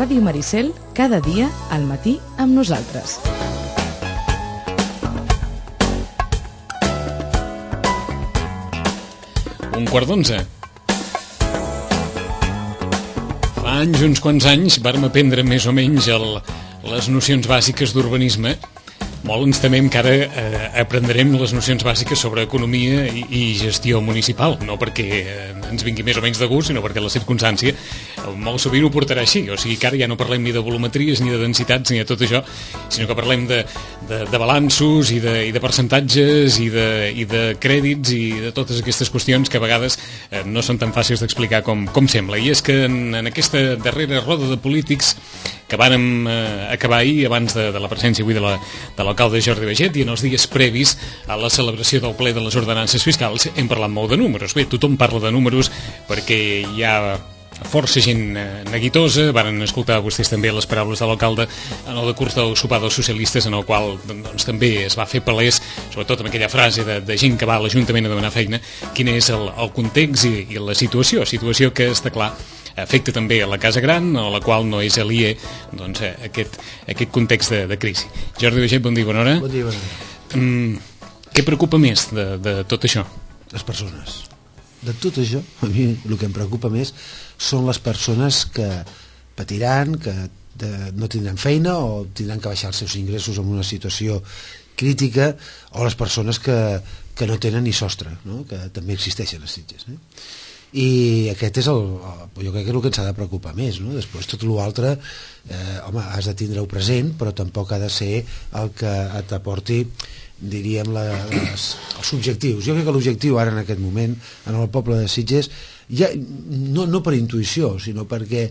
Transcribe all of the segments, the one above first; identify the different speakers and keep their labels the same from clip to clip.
Speaker 1: Ràdio Maricel, cada dia al matí amb nosaltres.
Speaker 2: Un quart d'onze. Fa anys, uns quants anys, vàrem aprendre més o menys les nocions bàsiques d'urbanisme. Molt ens temem que ara aprendrem les nocions bàsiques sobre economia i gestió municipal, no perquè ens vingui més o menys de gust, sinó perquè la circumstància molt sovint ho portarà així. O sigui que ara ja no parlem ni de volumetries, ni de densitats, ni de tot això, sinó que parlem de balanços i de percentatges i de crèdits i de totes aquestes qüestions que a vegades no són tan fàcils d'explicar com sembla. I és que en aquesta darrera roda de polítics que vàrem acabar ahir, abans de la presència avui de l'alcalde Jordi Baiget, i en els dies previs a la celebració del ple de les ordenances fiscals, hem parlat molt de números. Bé, tothom parla de números perquè hi ha força gent neguitosa. Varen escoltar vostès també les paraules de l'alcalde en el decurs del sopar dels socialistes, en el qual doncs, també es va fer palès, sobretot amb aquella frase de gent que va a l'Ajuntament a demanar feina, quin és el context i la situació que està clar afecta també a la Casa Gran, a la qual no és aliè doncs, aquest context de crisi. Jordi Baiget, bon dia, bona hora.
Speaker 3: Bon dia, bona hora.
Speaker 2: Què preocupa més de tot això?
Speaker 3: Les persones. De tot això, a mi el que em preocupa més són les persones que patiran, que no tindran feina o tindran que baixar els seus ingressos en una situació crítica, o les persones que no tenen ni sostre, no? Que també existeixen a Sitges. I aquest és jo crec que és el que ens ha de preocupar més, no? Després tot l'altre home, has de tindre-ho present, però tampoc ha de ser el que t'aporti, diríem, els objectius. Jo crec que l'objectiu ara en aquest moment en el poble de Sitges, ja, no per intuïció, sinó perquè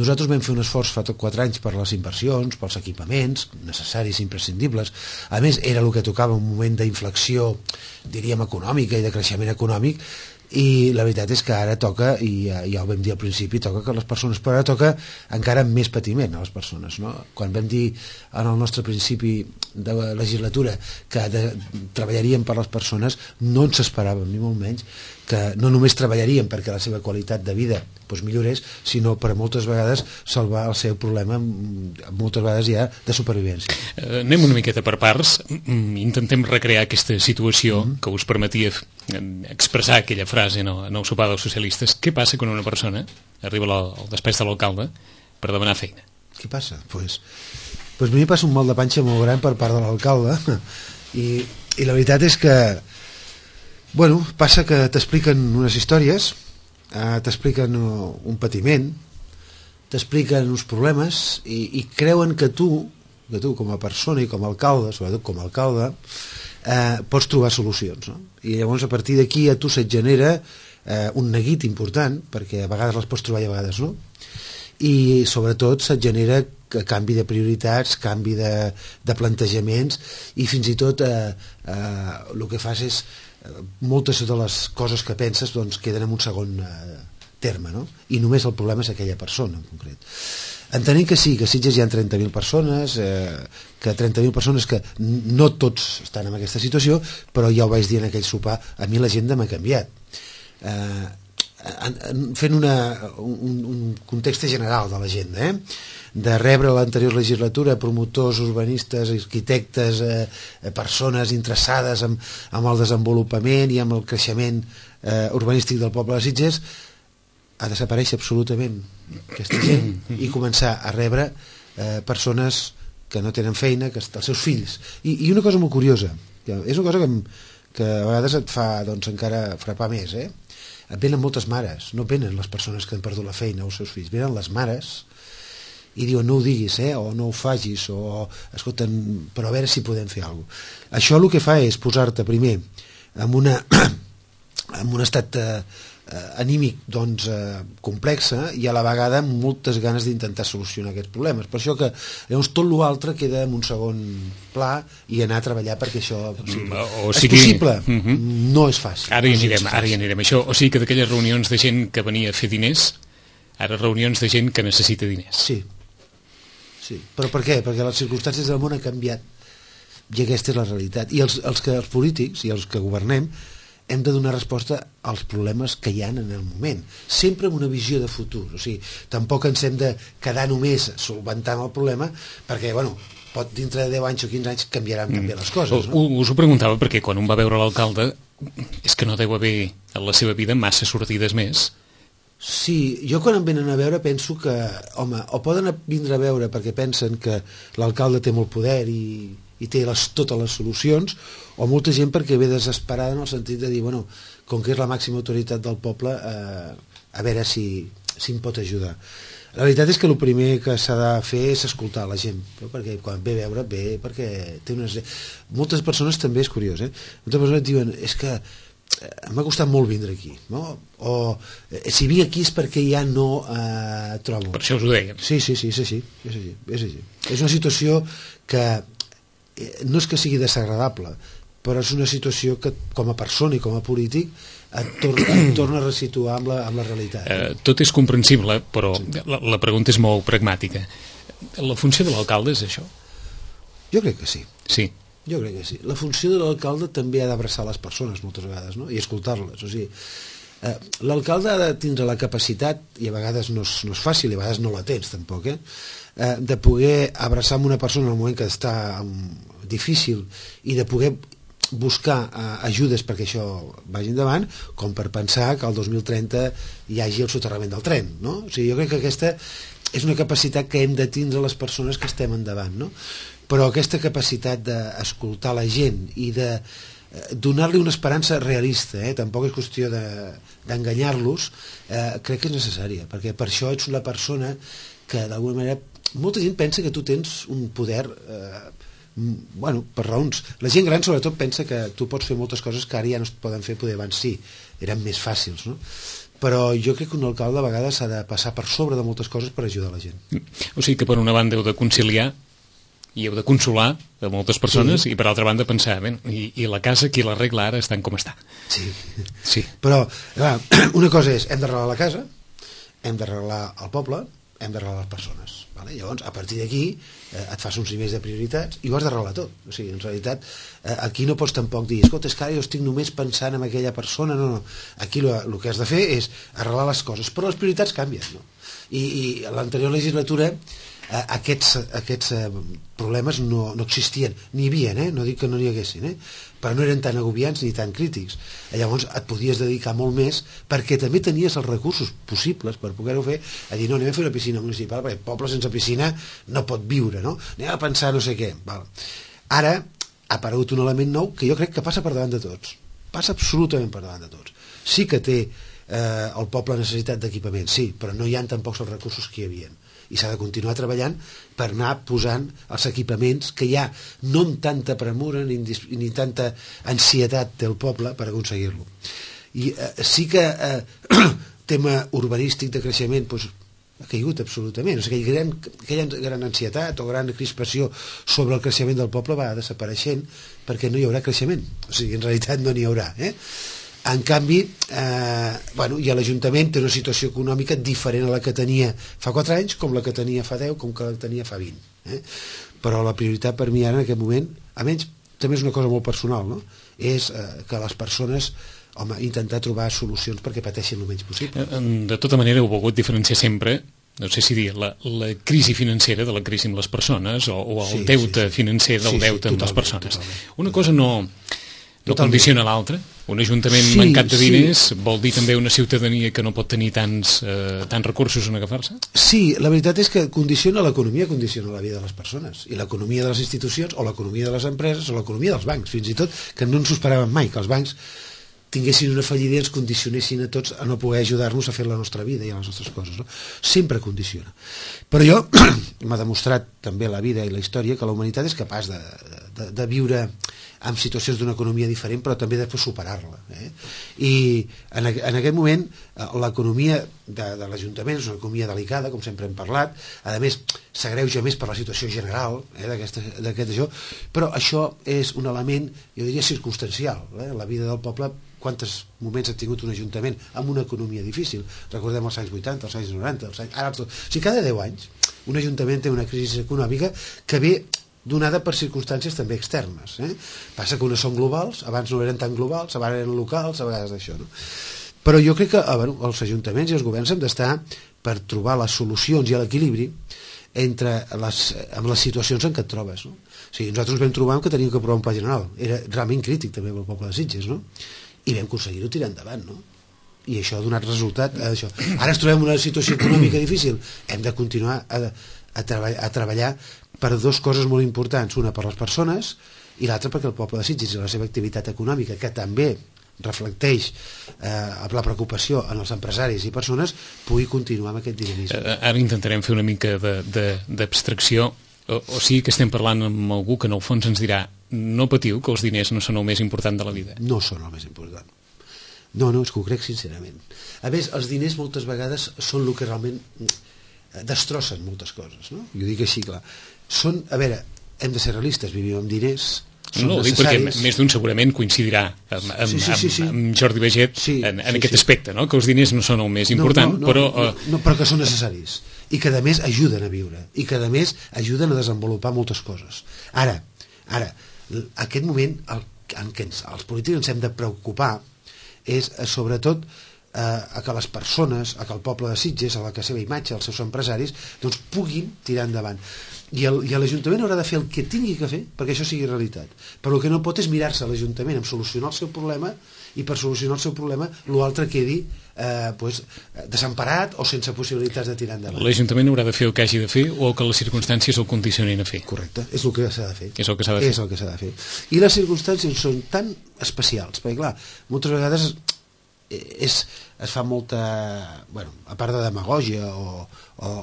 Speaker 3: nosaltres vam fer un esforç fa 4 anys per les inversions, pels equipaments necessaris i imprescindibles. A més, era el que tocava un moment d'inflexió, diríem, econòmica i de creixement econòmic, i la veritat és que ara toca, i ja ho vam dir al principi, toca que les persones, però ara toca encara més patiment a les persones, no? Quan vam dir en el nostre principi de legislatura que treballaríem per les persones, no ens esperàvem ni molt menys que no només treballaríem perquè la seva qualitat de vida millorés, sinó per moltes vegades salvar el seu problema, moltes vegades ja de supervivència.
Speaker 2: Anem una miqueta per parts, intentem recrear aquesta situació que us permetia expressar aquella frase en el sopar dels socialistes. Què passa quan una persona arriba al despatx de l'alcalde per demanar feina?
Speaker 3: Què passa? Pues a mi passa un mal de panxa molt gran per part de l'alcalde i la veritat és que passa que t'expliquen unes històries, t'expliquen un patiment, t'expliquen uns problemes i creuen que tu com a persona i com a alcalde, sobretot com a alcalde, pots trobar solucions, no? I llavors a partir d'aquí a tu se't genera un neguit important, perquè a vegades les pots trobar i a vegades no, i sobretot se't genera canvi de prioritats, canvi de plantejaments, i fins i tot el que fas és moltes de les coses que penses queden en un segon terme, no? I només el problema és aquella persona en concret. Entenem que sí, que a Sitges hi ha 30.000 persones, que 30.000 persones que no tots estan en aquesta situació, però ja ho vaig dir en aquell sopar, a mi l'agenda m'ha canviat. Fent un context general de l'agenda, de rebre l'anterior legislatura promotors, urbanistes, arquitectes, persones interessades amb el desenvolupament i amb el creixement urbanístic del poble de Sitges, ha desaparèixer absolutament aquesta gent i començar a rebre persones que no tenen feina, que els seus fills. I una cosa molt curiosa, és una cosa que a vegades et fa encara frapar més, et venen moltes mares, no venen les persones que han perdut la feina o els seus fills, venen les mares i diuen no ho diguis, o no ho facis, o escolta, però a veure si podem fer alguna cosa. Això el que fa és posar-te primer en un estat anímic complexa i a la vegada amb moltes ganes d'intentar solucionar aquests problemes. Per això que llavors tot l'altre queda en un segon pla i anar a treballar perquè això és possible. No és fàcil.
Speaker 2: Ara hi anirem. Això, o sigui que d'aquelles reunions de gent que venia a fer diners, ara reunions de gent que necessita diners.
Speaker 3: Sí. Però per què? Perquè les circumstàncies del món han canviat i aquesta és la realitat. I els polítics i els que governem hem de donar resposta als problemes que hi ha en el moment, sempre amb una visió de futur. O sigui, tampoc ens hem de quedar només solventant el problema, perquè, bueno, pot dintre de 10 anys o 15 anys canviaran també les coses, no?
Speaker 2: Us ho preguntava perquè quan un va veure l'alcalde és que no deu haver en la seva vida massa sortides més.
Speaker 3: Sí, jo quan em venen a veure penso que, home, o poden vindre a veure perquè pensen que l'alcalde té molt poder i té totes les solucions, o molta gent perquè ve desesperada en el sentit de dir, bueno, com que és la màxima autoritat del poble, a veure si em pot ajudar. La veritat és que el primer que s'ha de fer és escoltar la gent, no? Perquè quan ve a veure, ve perquè té unes... Moltes persones també, és curiós, moltes persones diuen, és que m'ha costat molt vindre aquí, no? O si vinc aquí és perquè ja no trobo.
Speaker 2: Per això us ho dèiem.
Speaker 3: Sí, és així. És una situació que no és que sigui desagradable, però és una situació que com a persona i com a polític et torna a resituar amb la realitat.
Speaker 2: Tot és comprensible, però la pregunta és molt pragmàtica. La funció de l'alcalde és això?
Speaker 3: Jo crec que sí.
Speaker 2: Sí.
Speaker 3: Jo crec que sí. La funció de l'alcalde també ha d'abraçar les persones moltes vegades, no? I escoltar-les. O sigui, l'alcalde ha de tindre la capacitat, i a vegades no és fàcil, i a vegades no la tens tampoc, de poder abraçar amb una persona en el moment que està difícil i de poder buscar ajudes perquè això vagi endavant, com per pensar que el 2030 hi hagi el soterrament del tren, no? O sigui, jo crec que aquesta és una capacitat que hem de tindre les persones que estem endavant, no? Però aquesta capacitat d'escoltar la gent i de donar-li una esperança realista, tampoc és qüestió d'enganyar-los, crec que és necessària, perquè per això ets una persona que d'alguna manera molta gent pensa que tu tens un poder bueno, per raons. La gent gran sobretot pensa que tu pots fer moltes coses que ara ja no es poden fer, poder abans sí, eren més fàcils, no? Però jo crec que un alcalde a vegades ha de passar per sobre de moltes coses per ajudar la gent.
Speaker 2: O sigui que per una banda heu de conciliar i heu de consolar a moltes persones, sí. I per altra banda pensar, i la casa qui l'arregla ara estan com està.
Speaker 3: Sí. Però clar, una cosa és, hem d'arreglar la casa, hem d'arreglar el poble, hem d'arreglar les persones, vale? Llavors a partir d'aquí et fas uns nivells de prioritats i ho has d'arreglar tot. O sigui, en realitat aquí no pots tampoc dir, escolta, és que ara jo estic només pensant en aquella persona, no. Aquí el que has de fer és arreglar les coses, però les prioritats canvien, no? I a l'anterior legislatura aquests problemes no existien, n'hi havia, no dic que no n'hi haguessin, però no eren tan agobiants ni tan crítics. Llavors et podies dedicar molt més perquè també tenies els recursos possibles per poder-ho fer, a dir, no, anem a fer una piscina municipal perquè el poble sense piscina no pot viure, no? Anem a pensar no sé què. Val. Ara ha aparegut un element nou que jo crec que passa per davant de tots, passa absolutament per davant de tots. Sí que té el poble necessitat d'equipament, sí, però no hi ha tampoc els recursos que hi havia, i s'ha de continuar treballant per anar posant els equipaments que ja no amb tanta premura ni tanta ansietat té el poble per aconseguir-lo. I sí que tema urbanístic de creixement doncs, ha caigut absolutament. O sigui, aquella gran ansietat o gran crispació sobre el creixement del poble va desapareixent perquè no hi haurà creixement. O sigui, en realitat no n'hi haurà, En canvi, ja l'Ajuntament té una situació econòmica diferent a la que tenia fa 4 anys, com la que tenia fa 10, com que la tenia fa 20. Però la prioritat per mi ara en aquest moment, a menys també és una cosa molt personal, no? És que les persones, intentar trobar solucions perquè pateixin el menys possible.
Speaker 2: De tota manera heu volgut diferenciar sempre, no sé si dir, la crisi financera de la crisi amb les persones o el deute financer del deute amb les persones. Totalment. Una cosa no condiciona l'altra. Un ajuntament mancat de diners vol dir també una ciutadania que no pot tenir tants recursos en agafar-se? Sí,
Speaker 3: la veritat és que condiciona l'economia, condiciona la vida de les persones, i l'economia de les institucions, o l'economia de les empreses, o l'economia dels bancs, fins i tot, que no ens ho esperàvem mai, que els bancs tinguessin una fallida i ens condicionessin a tots a no poder ajudar-nos a fer la nostra vida i a les nostres coses, no? Sempre condiciona. Però jo m'ha demostrat també la vida i la història que la humanitat és capaç de viure amb situacions d'una economia diferent, però també després superar-la. I en aquest moment l'economia de l'Ajuntament és una economia delicada, com sempre hem parlat, a més s'agreuja més per la situació general d'aquest això, però això és un element, jo diria, circumstancial. La vida del poble, quants moments ha tingut un ajuntament amb una economia difícil? Recordem els anys 80, els anys 90, o sigui, cada 10 anys un ajuntament té una crisi econòmica que ve donada per circumstàncies també externes. Passa que unes són globals, abans no eren tan globals, abans eren locals, a vegades d'això, no? Però jo crec que els ajuntaments i els governs hem d'estar per trobar les solucions i l'equilibri amb les situacions en què et trobes, no? O sigui, nosaltres vam trobar que teníem que aprovar un pla general, era realment crític també pel poble de Sitges, no? I vam aconseguir-ho tirar endavant, no? I això ha donat resultat a això. Ara ens trobem en una situació econòmica difícil, hem de continuar a treballar per dues coses molt importants, una per les persones i l'altra perquè el poble de Sitges i la seva activitat econòmica, que també reflecteix la preocupació en els empresaris i persones, pugui continuar amb aquest dinamisme.
Speaker 2: Ara intentarem fer una mica d'abstracció, o sigui que estem parlant amb algú que en el fons ens dirà no patiu, que els diners no són el més important de la vida.
Speaker 3: No són el més important. No, és que ho crec sincerament. A més, els diners moltes vegades són el que realment destrossen moltes coses, no? Jo dic així, clar. A veure, hem de ser realistes, vivim amb diners, són
Speaker 2: no,
Speaker 3: necessaris.
Speaker 2: Perquè més d'un segurament coincidirà amb Jordi Baget en aquest aspecte, no? Que els diners no són el més important, però
Speaker 3: que són necessaris i que a més ajuden a viure i que a més ajuden a desenvolupar moltes coses. Ara, aquest moment en què els polítics ens hem de preocupar és sobretot a que les persones, a que el poble de Sitges, a la seva imatge, els seus empresaris, doncs puguin tirar endavant. I l'Ajuntament haurà de fer el que tingui que fer perquè això sigui realitat. Però el que no pot és mirar-se a l'Ajuntament en solucionar el seu problema i per solucionar el seu problema l'altre quedi desemparat o sense possibilitats de tirar endavant.
Speaker 2: L'Ajuntament haurà de fer el que hagi de fer o que les circumstàncies el condicionin a fer.
Speaker 3: Correcte, és el que s'ha de fer.
Speaker 2: És el que s'ha de fer.
Speaker 3: I les circumstàncies són tan especials, perquè clar, moltes vegades es fa molta, a part de demagògia o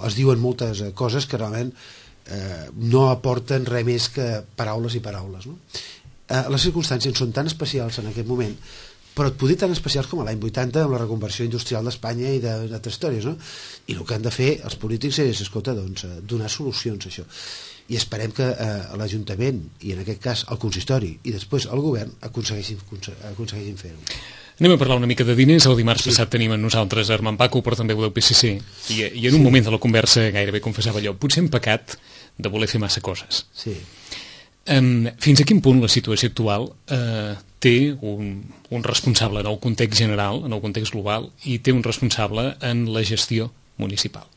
Speaker 3: es diuen moltes coses que realment no aporten res més que paraules i paraules, no? Les circumstàncies són tan especials en aquest moment, però et podria tan especials com l'any 80 amb la reconversió industrial d'Espanya i d'altres històries, no? I el que han de fer els polítics és, escolta, doncs, donar solucions a això. I esperem que l'Ajuntament, i en aquest cas el consistori, i després el govern, aconsegueixin fer-ho.
Speaker 2: Anem a parlar una mica de diners. El dimarts passat tenim amb nosaltres Armand Paco, però també del PSC, i en un moment de la conversa gairebé confessava allò, potser hem pecat de voler fer massa coses.
Speaker 3: Sí.
Speaker 2: Fins a quin punt la situació actual té un responsable en el context general, en el context global, i té un responsable en la gestió municipal?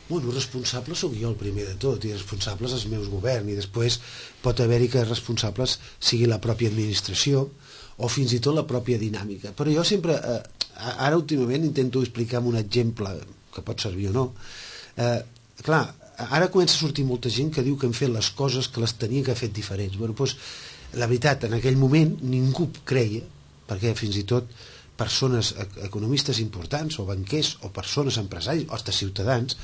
Speaker 3: Responsable sóc jo el primer de tot, i responsables els meus governs, i després pot haver-hi que responsables sigui la pròpia administració o fins i tot la pròpia dinàmica. Però jo sempre, ara últimament intento explicar amb un exemple que pot servir o no. Clar, ara comença a sortir molta gent que diu que hem fet les coses que les tenia que haver fet diferents. La veritat, en aquell moment ningú creia, perquè fins i tot persones economistes importants o banquers o persones empresaris o hasta ciutadans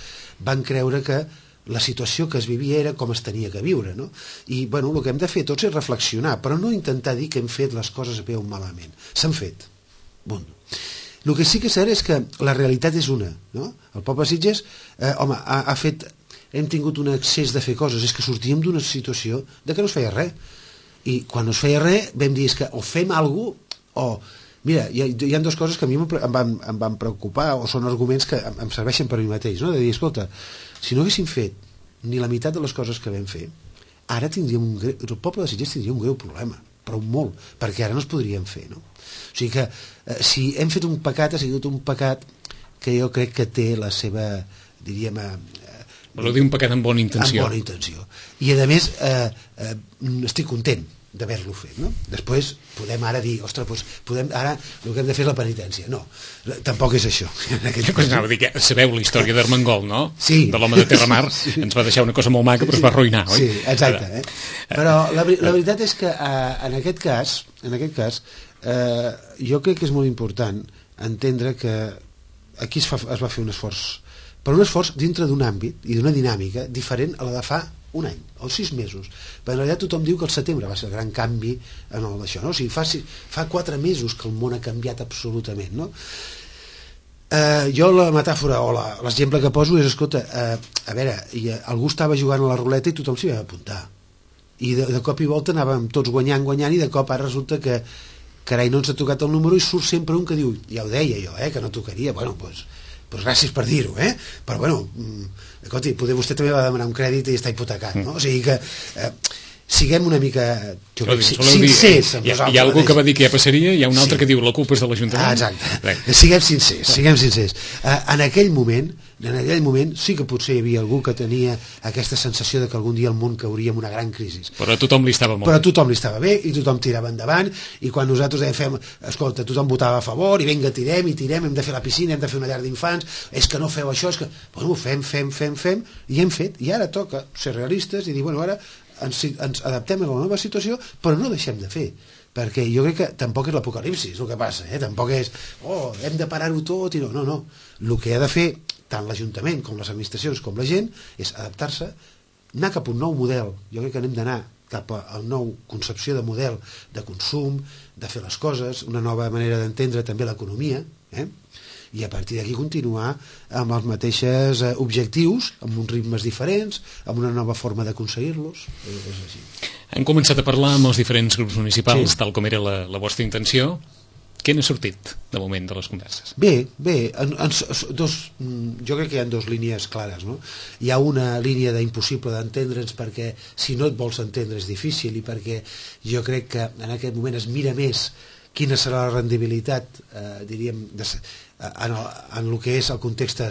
Speaker 3: van creure que la situació que es vivia era com es tenia que viure, no? I el que hem de fer tots és reflexionar, però no intentar dir que hem fet les coses bé o malament. S'han fet. El que sí que és cert és que la realitat és una, no? El poble de Sitges hem tingut un excés de fer coses, és que sortíem d'una situació de que no es feia res, i quan no es feia res vam dir que o fem alguna cosa o... Mira, hi ha dues coses que a mi em van preocupar, o són arguments que em serveixen per mi mateix, no? De dir, escolta, si no haguéssim fet ni la meitat de les coses que vam fer, ara el poble de Sitges tindria un greu problema, però molt, perquè ara no es podrien fer, no? O sigui que si hem fet un pecat, ha sigut un pecat que jo crec que té la seva, diríem...
Speaker 2: Voleu dir un pecat amb bona intenció.
Speaker 3: Amb bona intenció. I a més, estic content d'haver-lo fet, no? Després podem ara dir, ostres, ara el que hem de fer és la penitència. No, tampoc és això.
Speaker 2: Sabeu la història d'Armengol, no?
Speaker 3: Sí.
Speaker 2: De l'home de Terramar. Ens va deixar una cosa molt maca, però es va arruïnar, oi?
Speaker 3: Sí, exacte. Però la veritat és que en aquest cas jo crec que és molt important entendre que aquí es va fer un esforç, però un esforç dintre d'un àmbit i d'una dinàmica diferent a la de fa un any o 6 mesos, perquè en realitat tothom diu que el setembre va ser el gran canvi en el d'això, no? O sigui, fa 4 mesos que el món ha canviat absolutament, no? Jo la metàfora o l'exemple que poso és, escolta, a veure, algú estava jugant a la ruleta i tothom s'hi va apuntar i de cop i volta anàvem tots guanyant i de cop ara resulta que carai, no ens ha tocat el número i surt sempre un que diu, ja ho deia jo, que no tocaria, doncs gràcies per dir-ho, però bueno, escolti, poder vostè també va demanar un crèdit i està hipotecat, no? O sigui que siguem una mica sincers amb nosaltres.
Speaker 2: Hi ha algú que va dir que ja passaria, hi ha un altre que diu la culpa és de l'Ajuntament.
Speaker 3: Exacte, siguem sincers. En aquell moment sí que potser hi havia algú que tenia aquesta sensació de que algun dia el món cauria en una gran crisi.
Speaker 2: Però a tothom li estava molt bé.
Speaker 3: Però a tothom li estava bé i tothom tirava endavant, i quan nosaltres dèiem, escolta, tothom votava a favor i vinga, tirem, hem de fer la piscina, hem de fer una llar d'infants, és que no feu això, és que... Bueno, fem, i hem fet, i ara toca ser realistes i dir, bueno, ara ens adaptem a la nova situació, però no deixem de fer, perquè jo crec que tampoc és l'apocalipsis el que passa, tampoc és hem de parar-ho tot i no, el que ha de fer tant l'Ajuntament com les administracions com la gent és adaptar-se, anar cap a un nou model. Jo crec que hem d'anar cap a una nova concepció de model de consum, de fer les coses, una nova manera d'entendre també l'economia, i a partir d'aquí continuar amb els mateixos objectius, amb uns ritmes diferents, amb una nova forma d'aconseguir-los. És així.
Speaker 2: Han començat a parlar amb els diferents grups municipals, tal com era la vostra intenció. Què n'ha sortit, de moment, de les converses?
Speaker 3: Bé, jo crec que hi ha dues línies clares, no? Hi ha una línia d'impossible d'entendre'ns perquè si no et vols entendre és difícil, i perquè jo crec que en aquest moment es mira més quina serà la rendibilitat, diríem, en el que és el context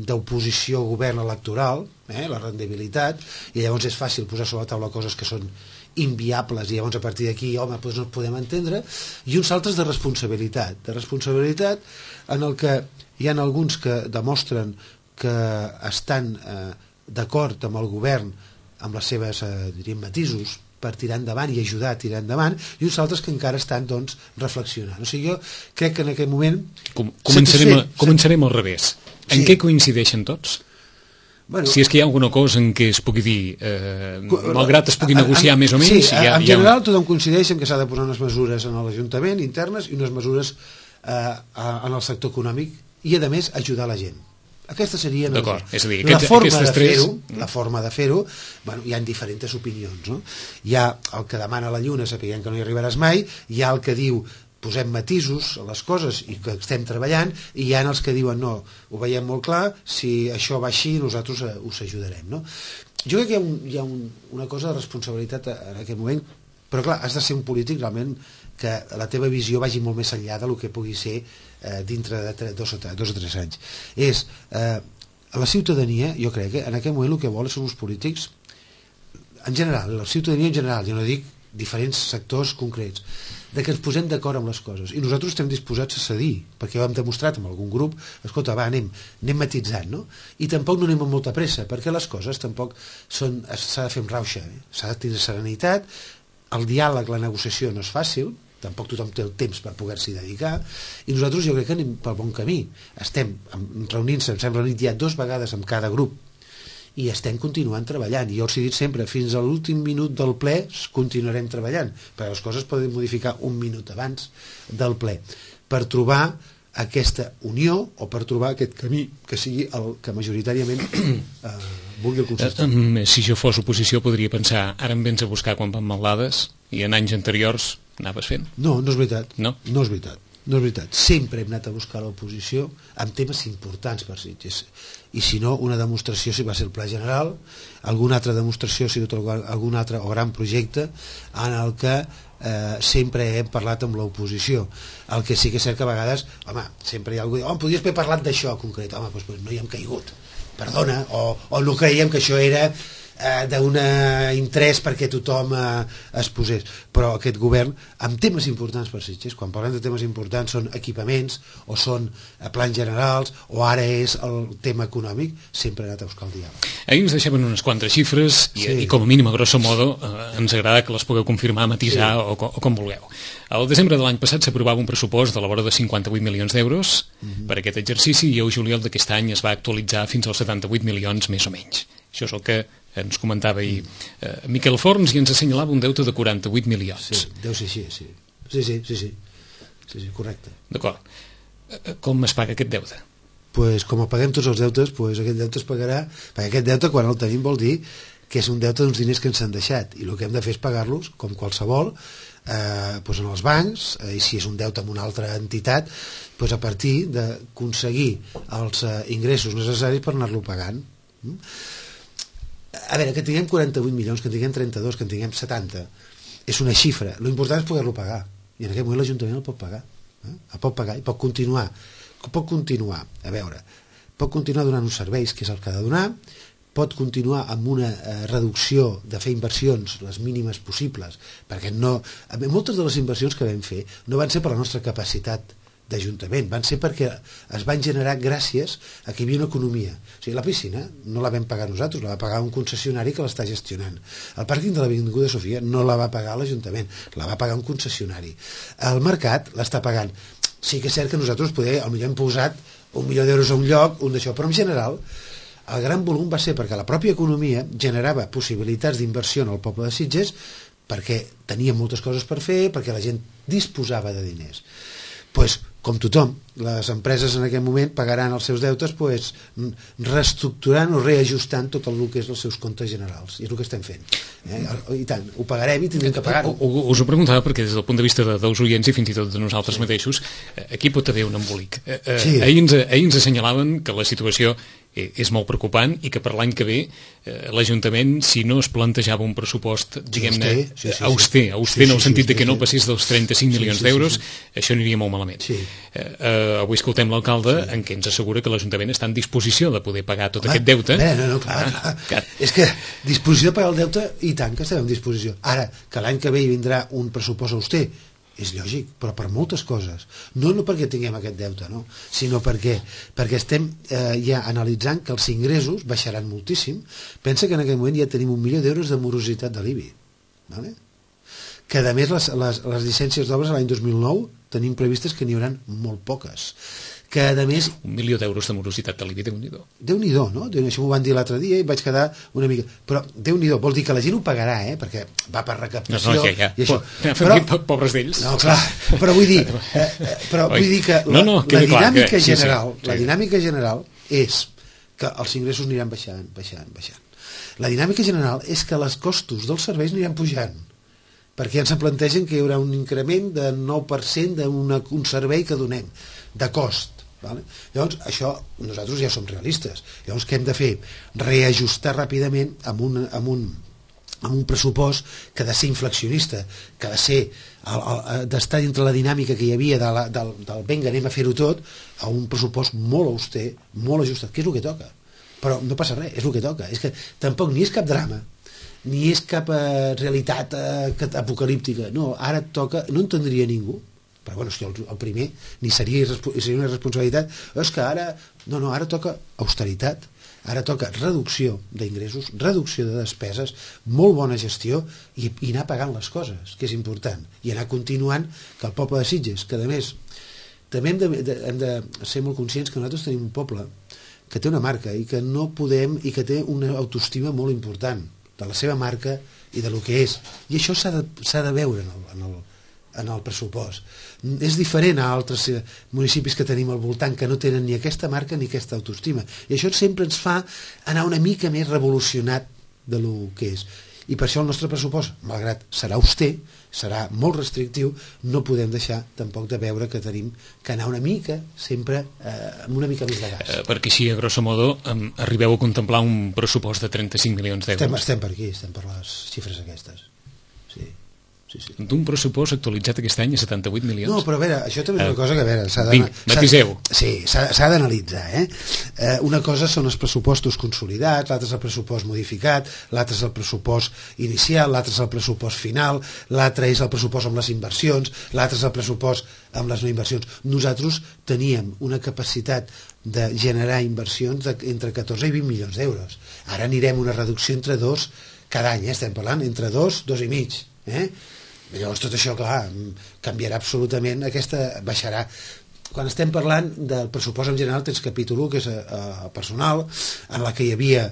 Speaker 3: d'oposició govern electoral, la rendibilitat, i llavors és fàcil posar sobre la taula coses que són inviables, i llavors a partir d'aquí, home, doncs no podem entendre, i uns altres de responsabilitat en el que hi ha alguns que demostren que estan d'acord amb el govern amb les seves, diríem, matisos per tirar endavant i ajudar a tirar endavant, i uns altres que encara estan, doncs, reflexionant. O sigui, jo crec que en aquest moment...
Speaker 2: Començarem al revés. En què coincideixen tots? Bueno, si és que hi ha alguna cosa en què es pugui dir, malgrat es pugui negociar més o menys...
Speaker 3: Sí, en general tothom coincideix en que s'ha de posar unes mesures en l'Ajuntament internes i unes mesures en el sector econòmic i, a més, ajudar la gent. Aquesta seria
Speaker 2: és a dir,
Speaker 3: la forma de fer-ho. Bueno, hi ha diferents opinions, no? Hi ha el que demana la lluna sapiguem que no hi arribaràs mai, hi ha el que diu posem matisos a les coses i que estem treballant, i hi ha els que diuen no, ho veiem molt clar, si això va així nosaltres us ajudarem, no? Jo crec que hi ha una cosa de responsabilitat en aquest moment, però clar, has de ser un polític realment que la teva visió vagi molt més enllà del que pugui ser dintre de 2 o 3 anys. La ciutadania, jo crec que en aquest moment el que vol són uns polítics en general, la ciutadania en general, jo no dic diferents sectors concrets, de que ens posem d'acord amb les coses, i nosaltres estem disposats a cedir, perquè ho hem demostrat amb algun grup, escolta, va, anem matitzant, no? I tampoc no anem amb molta pressa, perquè les coses tampoc s'ha de fer amb rauxa, s'ha de tenir serenitat, el diàleg, la negociació no és fàcil, tampoc tothom té el temps per poder-s'hi dedicar, i nosaltres jo crec que anem pel bon camí. Estem reunint-se, ens hem reunit ja 2 vegades amb cada grup, i estem continuant treballant. I jo els he dit sempre, fins a l'últim minut del ple continuarem treballant, perquè les coses poden modificar un minut abans del ple, per trobar aquesta unió o per trobar aquest camí que sigui el que majoritàriament vulgui el consistori.
Speaker 2: Si jo fos oposició podria pensar, ara em vens a buscar quan van maldades i en anys anteriors anaves fent.
Speaker 3: No, no és veritat.
Speaker 2: No
Speaker 3: és veritat. Sempre hem anat a buscar l'oposició amb temes importants per Sitges, i si no, una demostració si va ser el Pla General, alguna altra demostració si ha sigut algun altre o gran projecte en el que sempre hem parlat amb l'oposició. El que sí que és cert que a vegades, home, sempre hi ha algú que diu, podries haver parlat d'això concret, home, doncs no hi hem caigut, perdona, o no creiem que això era d'un interès perquè tothom es posés, però aquest govern amb temes importants per Sitges, quan parlem de temes importants són equipaments o són plans generals o ara és el tema econòmic, sempre ha anat a buscar el diàleg.
Speaker 2: Ahir ens deixaven unes quantes xifres i com a mínim a grosso modo ens agrada que les pugueu confirmar, matisar o com vulgueu. Al desembre de l'any passat s'aprovava un pressupost de la vora de 58 milions d'euros per aquest exercici, i el juliol d'aquest any es va actualitzar fins als 78 milions més o menys. Això és el que ens comentava ahir Miquel Forns, i ens assenyalava un deute de 48 milions.
Speaker 3: Sí, deu ser així, sí, correcte.
Speaker 2: D'acord. Com es paga aquest deute?
Speaker 3: Pues com paguem tots els deutes, pues aquest deute es pagarà, perquè aquest deute quan el tenim vol dir que és un deute d'uns diners que ens han deixat, i el que hem de fer és pagar-los, com qualsevol, doncs en els bancs, i si és un deute amb una altra entitat, doncs a partir d'aconseguir els ingressos necessaris per anar-lo pagant. A veure, que tinguem 48 milions, que en tinguem 32, que en tinguem 70, és una xifra. L'important és poder-lo pagar, i en aquest moment l'Ajuntament el pot pagar. El pot pagar i pot continuar. Pot continuar donant uns serveis, que és el que ha de donar, pot continuar amb una reducció de fer inversions les mínimes possibles, perquè moltes de les inversions que vam fer no van ser per la nostra capacitat d'Ajuntament, van ser perquè es van generar gràcies a que hi havia una economia. O sigui, la piscina no la vam pagar nosaltres, la va pagar un concessionari que l'està gestionant. El pàrquing de l'Avinguda Sofia no la va pagar l'Ajuntament, la va pagar un concessionari. El mercat l'està pagant. Sí que és cert que nosaltres potser hem posat 1 milió d'euros a un lloc, un d'això, però en general el gran volum va ser perquè la pròpia economia generava possibilitats d'inversió en el poble de Sitges, perquè tenia moltes coses per fer, perquè la gent disposava de diners. Pues, com tothom, les empreses en aquest moment pagaran els seus deutes reestructurant o reajustant tot el que és els seus comptes generals, i és el que estem fent. I tant, ho pagarem i tindrem que pagar-ho.
Speaker 2: Us ho preguntava perquè des del punt de vista dels oients i fins i tot de nosaltres mateixos, aquí pot haver un embolic. Ahir ens assenyalaven que la situació és molt preocupant i que per l'any que ve l'Ajuntament, si no es plantejava un pressupost, diguem-ne, auster en el sentit que no passés dels 35 milions d'euros, això aniria molt malament. Avui escoltem l'alcalde en què ens assegura que l'Ajuntament està en disposició de poder pagar tot aquest deute.
Speaker 3: No, clar. És que disposició de pagar el deute, i tant que estem en disposició. Ara, que l'any que ve hi vindrà un pressupost auster, és lògic, però per moltes coses. No perquè tinguem aquest deute, no, sinó perquè estem ja analitzant que els ingressos baixaran moltíssim. Pensa que en aquest moment ja tenim 1 milió d'euros de morositat de l'IBI, vale? Que a més les llicències d'obres l'any 2009 tenim previstes que n'hi haurà molt poques, que a més...
Speaker 2: 1 milió d'euros de morositat de l'IBI, Déu-n'hi-do.
Speaker 3: Déu-n'hi-do, no? Això m'ho van dir l'altre dia i vaig quedar una mica... Però Déu-n'hi-do, vol dir que la gent ho pagarà, perquè va per recaptació...
Speaker 2: Ja.
Speaker 3: I això.
Speaker 2: Però, pobres d'ells.
Speaker 3: No, clar, però vull dir que la dinàmica general és que els ingressos aniran baixant. La dinàmica general és que els costos dels serveis aniran pujant, perquè ens plantegen que hi haurà un increment de 9% d'un servei que donem, de cost. Vale? Llavors, això nosaltres ja som realistes. Llavors, què hem de fer? Reajustar ràpidament amb un pressupost que ha de ser inflacionista, que ha de ser d'estar dintre la dinàmica que hi havia del venga, anem a fer-ho tot, a un pressupost molt auster, molt ajustat, que és el que toca. Però no passa res, és el que toca. És que tampoc ni és cap drama, ni és cap realitat apocalíptica. No, ara toca, no entendria ningú, però bueno, el primer ni seria una irresponsabilitat, és que ara toca austeritat, ara toca reducció d'ingressos, reducció de despeses, molt bona gestió i anar pagant les coses, que és important, i anar continuant que el poble de Sitges, que a més també hem de ser molt conscients que nosaltres tenim un poble que té una marca i que no podem, i que té una autoestima molt important de la seva marca i de lo que és, i això s'ha de veure en el pressupost. És diferent a altres municipis que tenim al voltant que no tenen ni aquesta marca ni aquesta autoestima, i això sempre ens fa anar una mica més revolucionat de lo que és, i per això el nostre pressupost, malgrat serà auster, serà molt restrictiu, no podem deixar tampoc de veure que tenim que anar una mica sempre amb una mica més de gas,
Speaker 2: perquè així a grosso modo arribeu a contemplar un pressupost de 35 milions d'euros.
Speaker 3: Estem per aquí, estem per les xifres aquestes, sí.
Speaker 2: D'un pressupost actualitzat aquest any a 78 milions.
Speaker 3: No, però a veure, això també és una cosa que a veure, s'ha d'analitzar. Una cosa són els pressupostos consolidats, l'altre és el pressupost modificat, l'altre és el pressupost inicial, l'altre és el pressupost final, l'altre és el pressupost amb les inversions, l'altre és el pressupost amb les no inversions. Nosaltres teníem una capacitat de generar inversions entre 14 i 20 milions d'euros. Ara anirem una reducció entre 2 cada any, estem parlant entre 2 i mig. Llavors tot això, clar, canviarà absolutament, baixarà. Quan estem parlant del pressupost en general tens capítol 1, que és personal, en la que hi havia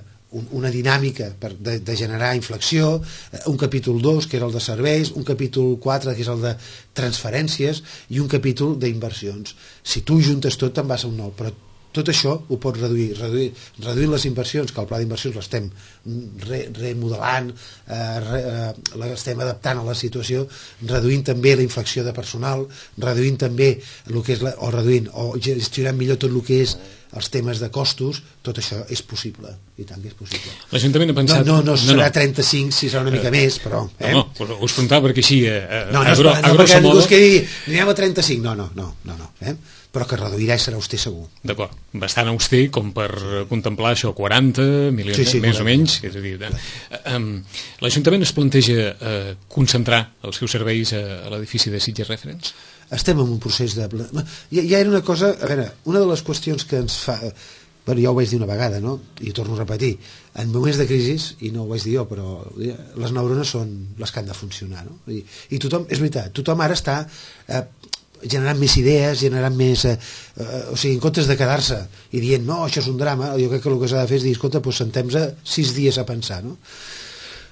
Speaker 3: una dinàmica de generar inflexió, un capítol 2 que era el de serveis, un capítol 4 que és el de transferències i un capítol d'inversions. Si tu juntes tot te'n vas a un 9, però tot això ho pot reduint les inversions, que el pla d'inversions l'estem remodelant, l'estem adaptant a la situació, reduint també la inflació de personal, reduint també el que és o gestionant millor tot el que és els temes de costos. Tot això és possible, i tant que és possible.
Speaker 2: L'Ajuntament ha pensat...
Speaker 3: No serà 35, si serà una mica més, però...
Speaker 2: No, us preguntava perquè així,
Speaker 3: no, perquè ningú es quedi, anirem a 35, no, però que reduirà i serà auster segur.
Speaker 2: D'acord, bastant auster com per contemplar això, 40 milions, sí, més o menys. És a dir, l'Ajuntament es planteja concentrar els seus serveis a l'edifici de Sitges Reference?
Speaker 3: Estem en un procés de... Ja era una cosa... A veure, una de les qüestions que ens fa... Bueno, ja ho vaig dir una vegada, no? I ho torno a repetir. En moments de crisi, i no ho vaig dir jo, però les neurones són les que han de funcionar, no? I tothom, és veritat, tothom ara està generant més idees, generant més... o sigui, en comptes de quedar-se i dient, no, això és un drama, jo crec que el que s'ha de fer és dir, escolta, doncs sentem-nos 6 dies a pensar, no?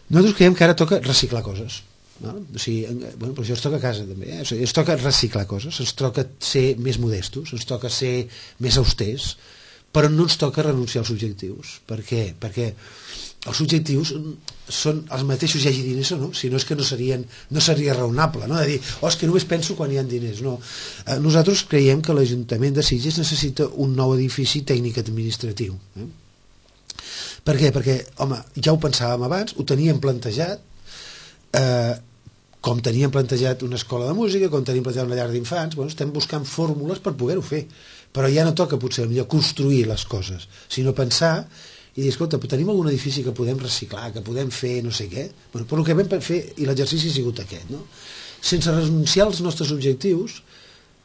Speaker 3: Nosaltres creiem que ara toca reciclar coses, no? O sigui, bueno, però això es toca a casa també, o sigui, es toca reciclar coses, ens toca ser més modestos, ens toca ser més austers, però no ens toca renunciar als objectius. Per què? Perquè els objectius són els mateixos, hi hagi diners o no, si no és que no seria raonable, no? De dir, és que només penso quan hi ha diners, no. Nosaltres creiem que l'Ajuntament de Sitges necessita un nou edifici tècnic administratiu. Per què? Perquè, home, ja ho pensàvem abans, ho teníem plantejat, com teníem plantejat una escola de música, com teníem plantejat una llar d'infants, bueno, estem buscant fórmules per poder-ho fer, però ja no toca potser millor construir les coses, sinó pensar i dir, escolta, tenim algun edifici que podem reciclar, que podem fer no sé què. Bueno, però el que vam fer, i l'exercici ha sigut aquest, no? Sense renunciar als nostres objectius,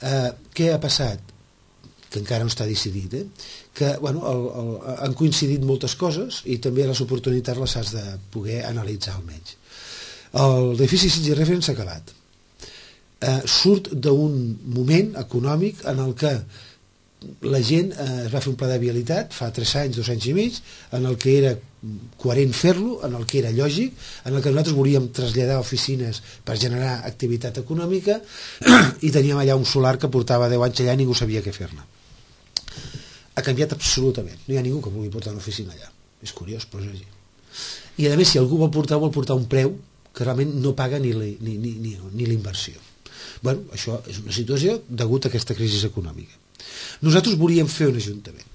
Speaker 3: què ha passat? Que encara no està decidit, que bueno, han coincidit moltes coses i també les oportunitats les has de poder analitzar almenys. L'edifici Sitges Reference s'ha acabat. Surt d'un moment econòmic en el que la gent es va fer un pla de vialitat fa 3 anys, 2 anys i mig, en el que era coherent fer-lo, en el que era lògic, en el que nosaltres volíem traslladar oficines per generar activitat econòmica i teníem allà un solar que portava 10 anys allà i ningú sabia què fer-ne. Ha canviat absolutament, no hi ha ningú que vulgui portar una oficina allà, és curiós, però és així. I a més, si algú vol portar un preu que realment no paga ni l'inversió. Bueno, això és una situació degut a aquesta crisi econòmica. Nosaltres volíem fer un ajuntament,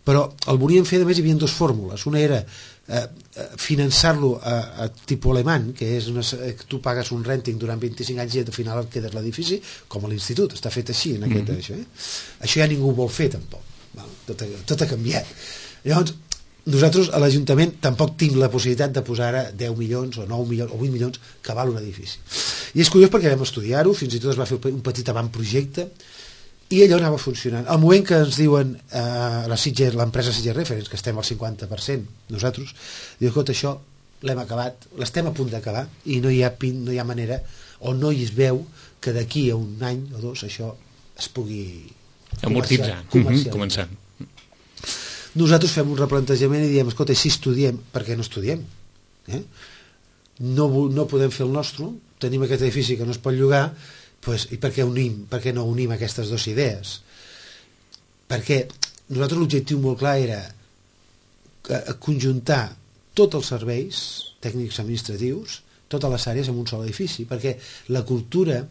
Speaker 3: però el volíem fer, a més, hi havia 2 fórmules. Una era finançar-lo a tipus alemany, que és que tu pagues un renting durant 25 anys i al final et quedes l'edifici, com a l'institut, està fet així en aquest, això. Això ja ningú vol fer tampoc. Tot ha canviat. Llavors, nosaltres a l'Ajuntament tampoc tinc la possibilitat de posar ara 10 milions o 9 milions o 8 milions que val un edifici. I és curiós perquè vam estudiar-ho, fins i tot es va fer un petit avantprojecte i allò anava funcionant. Al moment que ens diuen l'empresa Sitges Reference, que estem al 50%, nosaltres, diu, escolta, això l'hem acabat, l'estem a punt d'acabar i no hi ha manera, o no hi es veu que d'aquí a un any o 2 això es pugui
Speaker 2: amortitzar, començant.
Speaker 3: Nosaltres fem un replantejament i diem, escolta, si estudiem, per què no estudiem? No podem fer el nostre, tenim aquest edifici que no es pot llogar, i per què no unim aquestes 2 idees? Perquè nosaltres l'objectiu molt clar era conjuntar tots els serveis tècnics administratius, totes les àrees en un sol edifici, perquè la cultura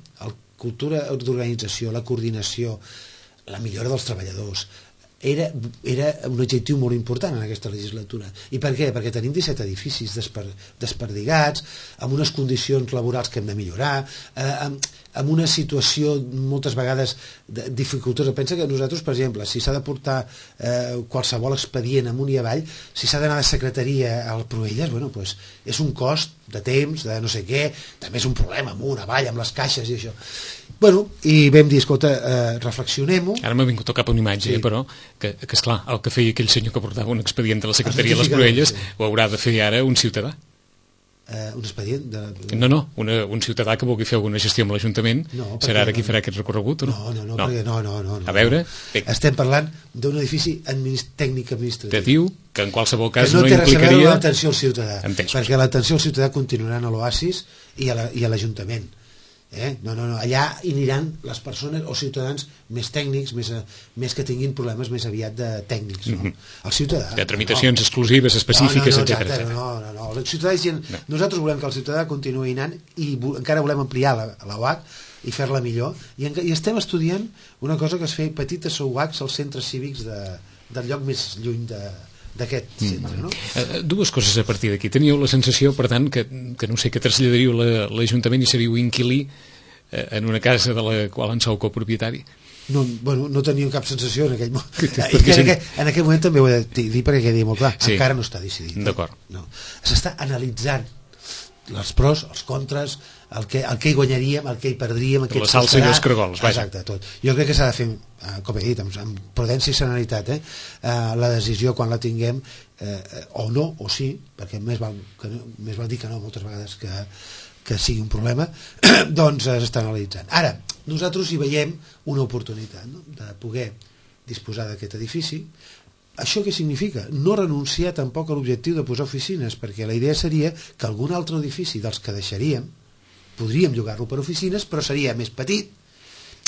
Speaker 3: d'organització, la coordinació, la millora dels treballadors, era un objectiu molt important en aquesta legislatura. I per què? Perquè tenim 17 edificis desperdigats, amb unes condicions laborals que hem de millorar, amb una situació moltes vegades dificultosa. Pensa que nosaltres, per exemple, si s'ha de portar qualsevol expedient amunt i avall, si s'ha d'anar de secretaria al Proelles, bueno, pues, és un cost de temps, de no sé què, també és un problema amunt, avall, amb les caixes i això. Bueno, i vam dir, escolta, reflexionem-ho.
Speaker 2: Ara m'ha vingut al cap una imatge, però, que esclar, el que feia aquell senyor que portava un expedient de la secretaria de les Proelles ho haurà de fer ara un ciutadà.
Speaker 3: Un expedient de...
Speaker 2: No, un ciutadà que vulgui fer alguna gestió amb l'Ajuntament, serà ara qui farà aquest recorregut o no?
Speaker 3: No.
Speaker 2: A veure...
Speaker 3: Estem parlant d'un edifici tècnic administratiu.
Speaker 2: Te diu que en qualsevol cas
Speaker 3: no
Speaker 2: implicaria...
Speaker 3: té res a veure amb l'atenció al ciutadà,
Speaker 2: Entens.
Speaker 3: perquè l'atenció al ciutadà continuarà a l'Oasis i a l'Ajuntament. No, allà hi aniran les persones o ciutadans més tècnics, més que tinguin problemes més aviat de tècnics, no? El ciutadà...
Speaker 2: De tramitacions exclusives, específiques, etc.
Speaker 3: No. El ciutadà és gent... Nosaltres volem que el ciutadà continuï anant i encara volem ampliar la UAC i fer-la millor, i estem estudiant una cosa que es fer petites UACs als centres cívics del lloc més lluny d'aquest centre, no?
Speaker 2: Dues coses a partir d'aquí. Teníeu la sensació, per tant, que no sé, que traslladaríeu l'Ajuntament i seríeu inquilí en una casa de la qual en sou copropietari?
Speaker 3: No teníem cap sensació en aquell moment. En aquell moment també ho he de dir perquè quedi molt clar. Sí. Encara no està decidit.
Speaker 2: D'acord.
Speaker 3: No. S'està analitzant els pros, els contres, el que hi guanyaríem, el que hi perdríem,
Speaker 2: la salsa i els cargols, vaja.
Speaker 3: Exacte, tot. Jo crec que s'ha de fer, com he dit, amb prudència i serenitat, la decisió quan la tinguem, o no, o sí, perquè més val dir que no moltes vegades que sigui un problema, doncs s'està analitzant. Ara, nosaltres hi veiem una oportunitat, no?, de poder disposar d'aquest edifici. Això què significa? No renunciar tampoc a l'objectiu de posar oficines, perquè la idea seria que algun altre edifici dels que deixaríem podríem llogar-lo per oficines, però seria més petit,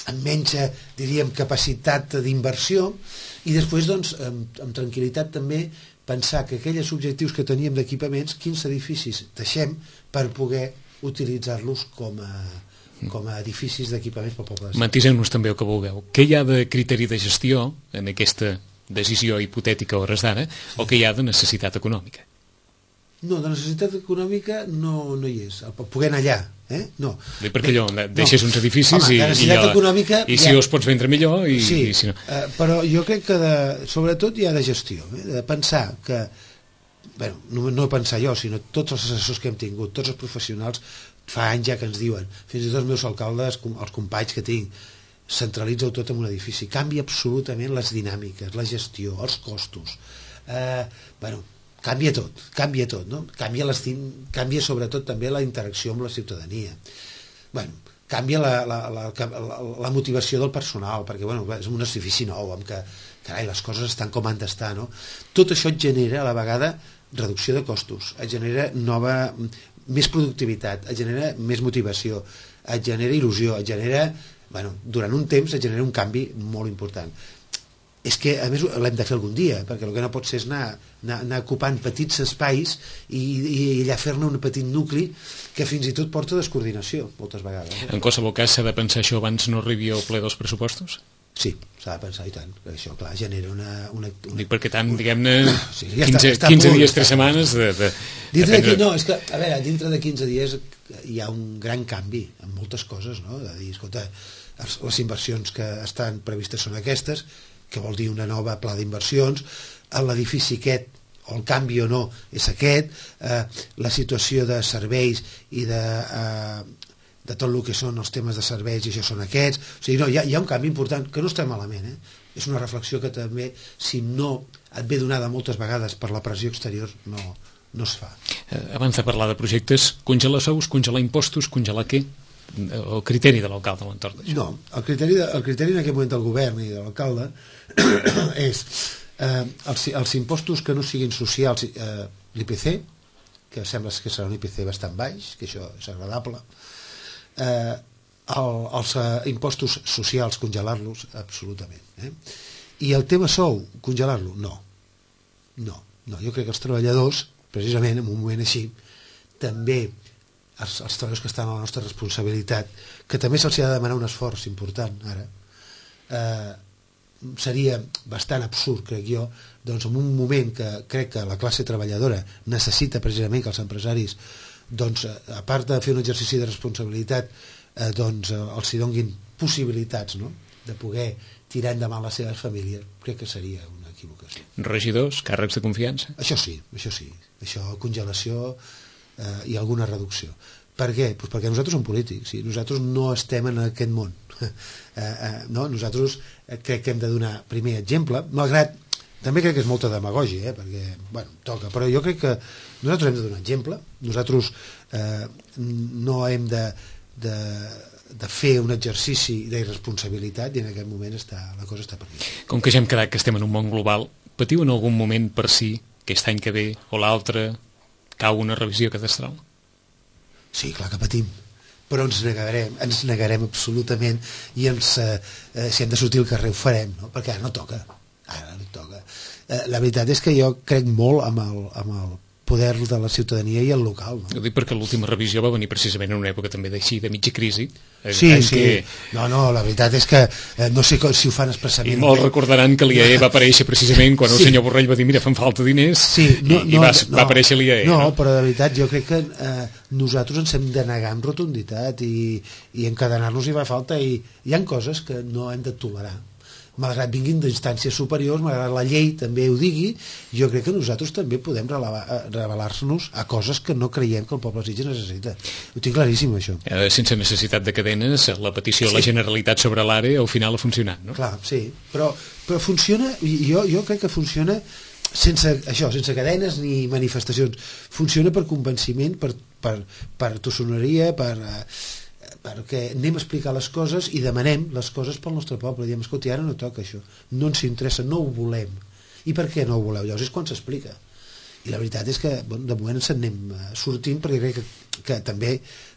Speaker 3: amb menys, diríem, capacitat d'inversió, i després, doncs, amb tranquil·litat també pensar que aquells objectius que teníem d'equipaments, quins edificis deixem per poder utilitzar-los com a edificis d'equipaments pel poble.
Speaker 2: Matiseu-nos també el que vulgueu. Què hi ha de criteri de gestió en aquesta decisió hipotètica a hores d'ara, o que hi ha de necessitat econòmica?
Speaker 3: No, de necessitat econòmica no hi és. Poder anar allà, no.
Speaker 2: Perquè allò, deixes uns edificis i si els pots vendre millor i si no.
Speaker 3: Però jo crec que sobretot hi ha de gestió, de pensar que, no pensar jo, sinó tots els assessors que hem tingut, tots els professionals, fa anys ja que ens diuen, fins i tot els meus alcaldes, els companys que tinc, centralitza-ho tot en un edifici, canvia absolutament les dinàmiques, la gestió, els costos, canvia tot, no? Canvia sobretot també la interacció amb la ciutadania, canvia la motivació del personal, perquè és un edifici nou, amb que carai, les coses estan com han d'estar, no? Tot això et genera a la vegada reducció de costos, et genera més productivitat, et genera més motivació, et genera il·lusió, et genera durant un temps et genera un canvi molt important. És que a més l'hem de fer algun dia, perquè el que no pot ser és anar ocupant petits espais i allà fer-ne un petit nucli que fins i tot porta descoordinació moltes vegades.
Speaker 2: En qualsevol cas s'ha de pensar això abans no arribi al ple dels pressupostos?
Speaker 3: Sí, s'ha de pensar, i tant. Això, clar, genera una...
Speaker 2: Dic perquè tant, diguem-ne, 15 dies, 3 setmanes
Speaker 3: No, és que, a veure, dintre de 15 dies hi ha un gran canvi en moltes coses, no? De dir, escolta, les inversions que estan previstes són aquestes, que vol dir una nova pla d'inversions, l'edifici aquest, o el canvi o no, és aquest, la situació de serveis i de tot el que són els temes de serveis, i això són aquests, o sigui, no, hi ha un canvi important, que no està malament, és una reflexió que també, si no et ve donada moltes vegades per la pressió exterior, no es fa.
Speaker 2: Abans de parlar de projectes, congelar sous, congelar impostos, congelar què? El criteri de l'alcalde a l'entorn d'això?
Speaker 3: No, el criteri en aquest moment del govern i de l'alcalde és els impostos que no siguin socials, l'IPC, que sembla que serà un IPC bastant baix, que això és agradable, els impostos socials congelar-los absolutament, i el tema sou congelar-lo? No, jo crec que els treballadors, precisament en un moment així, també els treballadors que estan a la nostra responsabilitat, que també se'ls ha de demanar un esforç important ara, seria bastant absurd, crec jo, doncs en un moment que crec que la classe treballadora necessita precisament que els empresaris, doncs, a part de fer un exercici de responsabilitat, doncs els hi donguin possibilitats, no?, de poder tirar endavant les seves famílies, crec que seria una equivocació.
Speaker 2: Regidors, càrrecs de confiança?
Speaker 3: Això sí, això congelació i alguna reducció. Per què? Pues perquè nosaltres som polítics, nosaltres no estem en aquest món. No? Nosaltres crec que hem de donar primer exemple, malgrat també crec que és molta demagògia, perquè, toca, però jo crec que nosaltres hem de donar exemple, nosaltres no hem de fer un exercici d'irresponsabilitat, i en aquest moment la cosa està perdida.
Speaker 2: Com que ja hem quedat que estem en un món global, patiu en algun moment per si aquest any que ve o l'altre cau una revisió cadastral?
Speaker 3: Sí, clar que patim. però ens negarem absolutament, i si hem de sortir al carrer ho farem, no? Perquè ara no toca. La veritat és que jo crec molt amb el poder de la ciutadania i el local, no?
Speaker 2: Ho dic perquè l'última revisió va venir precisament en una època també d'així, de mitja crisi.
Speaker 3: Sí. No, la veritat és que no sé si ho fan expressament.
Speaker 2: I molts recordaran que l'IAE va aparèixer precisament quan el senyor Borrell va dir mira, fan falta diners, i va aparèixer l'IAE.
Speaker 3: No, però de veritat jo crec que nosaltres ens hem de negar amb rotunditat i encadenar-nos hi va falta, i hi ha coses que no hem de tolerar. Malgrat vinguin d'instàncies superiors, malgrat la llei també ho digui, jo crec que nosaltres també podem rebel·lar-nos a coses que no creiem que el poble de Sitges necessita. Ho tinc claríssim, això.
Speaker 2: Sense necessitat de cadenes, la petició de la Generalitat sobre l'ARE al final ha funcionat, no?
Speaker 3: Clar, sí, però funciona, jo crec que funciona sense cadenes ni manifestacions. Funciona per convenciment, per tossoneria, perquè anem a explicar les coses i demanem les coses pel nostre poble. Diem, escolta, ara no toca això, no ens interessa, no ho volem. I per què no ho voleu? Llavors és quan s'explica. I la veritat és que de moment ens anem sortint, perquè crec que també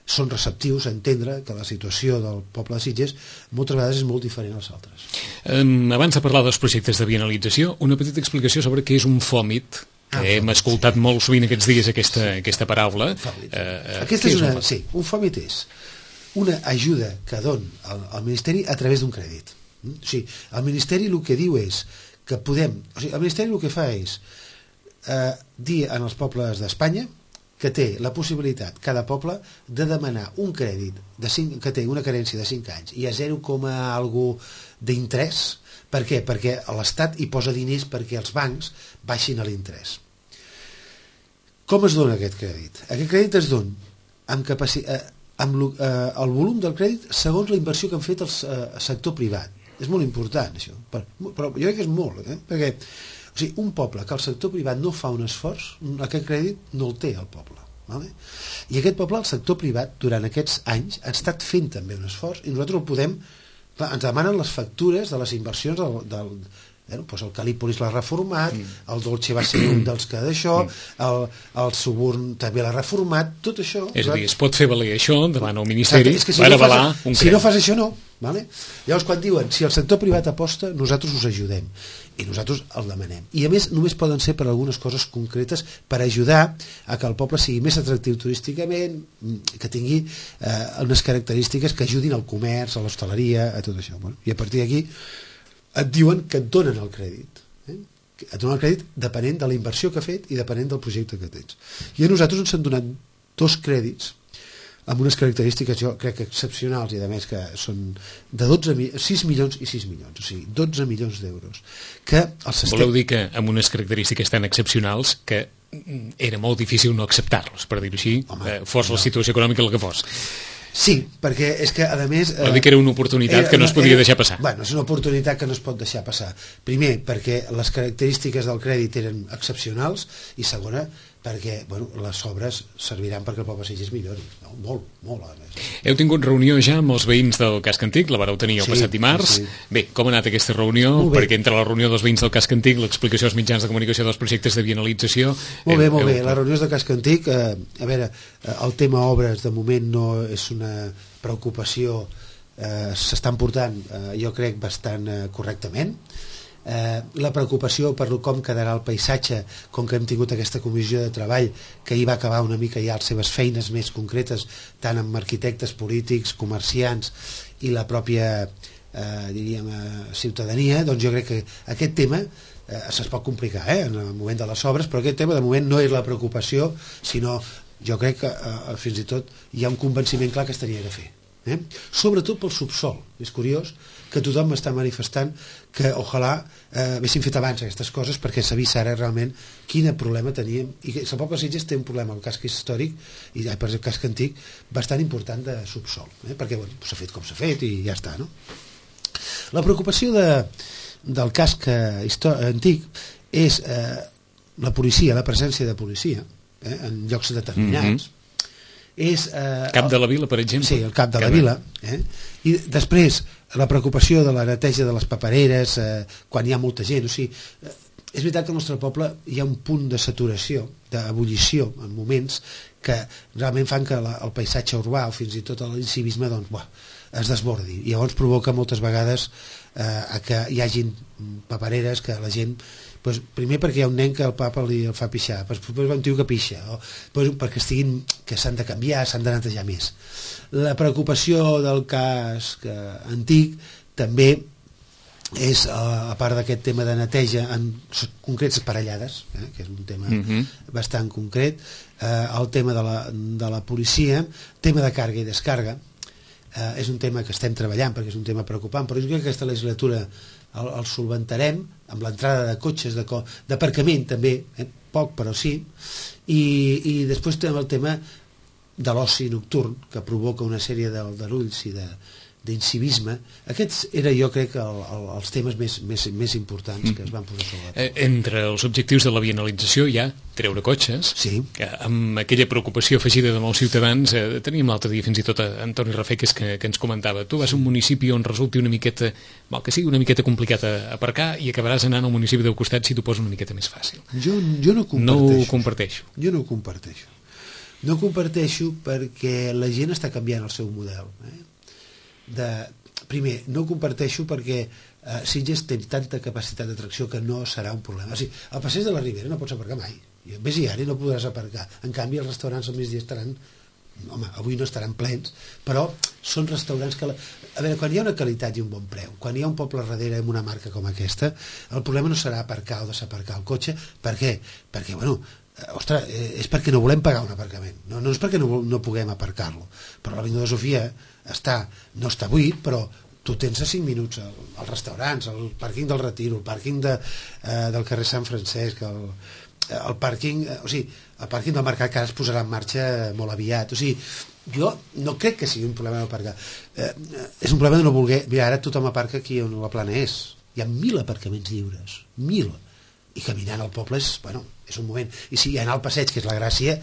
Speaker 3: són receptius a entendre que la situació del poble de Sitges moltes vegades és molt diferent als altres.
Speaker 2: Abans de parlar dels projectes de bienalització, una petita explicació sobre què és un fòmit. Hem escoltat molt sovint aquests dies aquesta paraula.
Speaker 3: Aquesta és un fòmit és una ajuda que don el Ministeri a través d'un crèdit. O sigui, el Ministeri el que diu és que podem... O sigui, el Ministeri el que fa és dir als pobles d'Espanya que té la possibilitat, cada poble, de demanar un crèdit que té una carència de 5 anys i a 0, algo d'interès. Per què? Perquè l'Estat hi posa diners perquè els bancs baixin a l'interès. Com es dona aquest crèdit? Aquest crèdit es dona amb el volum del crèdit segons la inversió que han fet el sector privat. És molt important, això. Però jo crec que és molt, perquè un poble que el sector privat no fa un esforç, aquest crèdit no el té el poble. Vale? I aquest poble, el sector privat, durant aquests anys ha estat fent també un esforç, i nosaltres el podem... Clar, ens demanen les factures de les inversions doncs el Calípolis l'ha reformat, el Dolce va ser un dels que d'això, el Suburn també l'ha reformat, tot això...
Speaker 2: És a dir, es pot fer valer això davant el Ministeri per avalar un crèdit.
Speaker 3: Si no fas això, no. Vale? Llavors, quan diuen, si el sector privat aposta, nosaltres us ajudem. I nosaltres el demanem. I a més, només poden ser per algunes coses concretes per ajudar a que el poble sigui més atractiu turísticament, que tingui unes característiques que ajudin al comerç, a l'hostaleria, a tot això. I a partir d'aquí et diuen que et donen el crèdit. Et donen el crèdit depenent de la inversió que ha fet i depenent del projecte que tens. I a nosaltres ens han donat 2 crèdits amb unes característiques, jo crec, excepcionals, i a més que són de 6 milions i 6 milions, o sigui, 12 milions d'euros.
Speaker 2: Voleu dir que amb unes característiques tan excepcionals que era molt difícil no acceptar-los, per dir-ho així, fos la situació econòmica el que fos.
Speaker 3: Sí, perquè és que, a més...
Speaker 2: Vol dir que era una oportunitat que no es podia deixar passar.
Speaker 3: Bueno, és una oportunitat que no es pot deixar passar. Primer, perquè les característiques del crèdit eren excepcionals, i segona, perquè les obres serviran perquè el poble de Sitges millori. Molt, a més.
Speaker 2: Heu tingut reunió ja amb els veïns del Casc Antic, la vareu tenir el passat dimarts. Sí. Bé, com ha anat aquesta reunió? Perquè entre la reunió dels veïns del Casc Antic, l'explicació als mitjans de comunicació dels projectes de bienalització...
Speaker 3: Molt bé. La reunió del Casc Antic, a veure, el tema obres de moment no és una preocupació, s'estan portant, jo crec, bastant correctament. La preocupació per com quedarà el paisatge, com que hem tingut aquesta comissió de treball que hi va acabar una mica ja les seves feines més concretes, tant amb arquitectes, polítics, comerciants i la pròpia ciutadania, doncs jo crec que aquest tema es pot complicar en el moment de les obres, però aquest tema de moment no és la preocupació, sinó jo crec que fins i tot hi ha un convenciment clar que es tenia de fer. Sobretot pel subsol. És curiós que tothom m'està manifestant que ojalà haguéssim fet abans aquestes coses, perquè s'ha vist ara realment quin problema teníem, i que el poble de Sitges té un problema al casc històric i per el casc antic bastant important de subsol, perquè s'ha fet com s'ha fet i ja està, no? La preocupació del casc antic és la policia, la presència de policia en llocs determinats. És,
Speaker 2: Cap de la Vila, per exemple.
Speaker 3: Sí, el Cap de la Vila. I després la preocupació de la neteja de les papereres quan hi ha molta gent. O sigui, és veritat que al nostre poble hi ha un punt de saturació, d'ebullició en moments que realment fan que el paisatge urbà o fins i tot l'incivisme es desbordi, i llavors provoca moltes vegades que hi hagin papereres que la gent primer perquè hi ha un nen que el papa el fa pixar, després va un tio que pixa, perquè que s'han de canviar, s'han de netejar més. La preocupació del cas antic també és, a part d'aquest tema de neteja en concrets parellades, que és un tema bastant concret, el tema de la policia, tema de càrrega i descàrrega, és un tema que estem treballant perquè és un tema preocupant, però jo crec que aquesta legislatura el solventarem amb l'entrada de cotxes d'aparcament també, poc però sí, i després tenim el tema de l'oci nocturn que provoca una sèrie d'aldarulls i d'incivisme. Aquests era, jo crec, els temes més importants que es van posar sobre la taula.
Speaker 2: Entre els objectius de la bienalització hi ha treure cotxes, que amb aquella preocupació afegida de molts ciutadans. Teníem l'altre dia fins i tot Antoni Rafeques que ens comentava: tu vas a un municipi on resulti una miqueta, mal que sigui, una miqueta complicat a aparcar, i acabaràs anant al municipi del costat si t'ho posa una miqueta més fàcil.
Speaker 3: Jo no
Speaker 2: ho comparteixo.
Speaker 3: Jo no ho comparteixo. No ho comparteixo perquè la gent està canviant el seu model. Primer, no ho comparteixo perquè Sitges té tanta capacitat d'atracció que no serà un problema. O sigui, al passeig de la Ribera no pots aparcar mai. Vés-hi ara i no podràs aparcar. En canvi, els restaurants al migdia estaran... Home, avui no estaran plens, però són restaurants que... A veure, quan hi ha una qualitat i un bon preu, quan hi ha un poble darrere amb una marca com aquesta, el problema no serà aparcar o desaparcar el cotxe. Per què? Perquè, bueno, ostres, és perquè no volem pagar un aparcament. No és perquè no puguem aparcar-lo. Però l'Avinguda de Sofia no està buit, però tu tens a 5 minuts als restaurants, el pàrquing del Retiro, el pàrquing del carrer Sant Francesc, el pàrquing, o sigui, el pàrquing del Mercat, que ara es posarà en marxa molt aviat. O sigui, jo no crec que sigui un problema d'aparcar. És un problema de no voler... Mira, ara tothom aparca aquí on la Plana és. Hi ha 1.000 aparcaments lliures. 1.000. I caminant al poble és un moment. I si anar al passeig, que és la gràcia...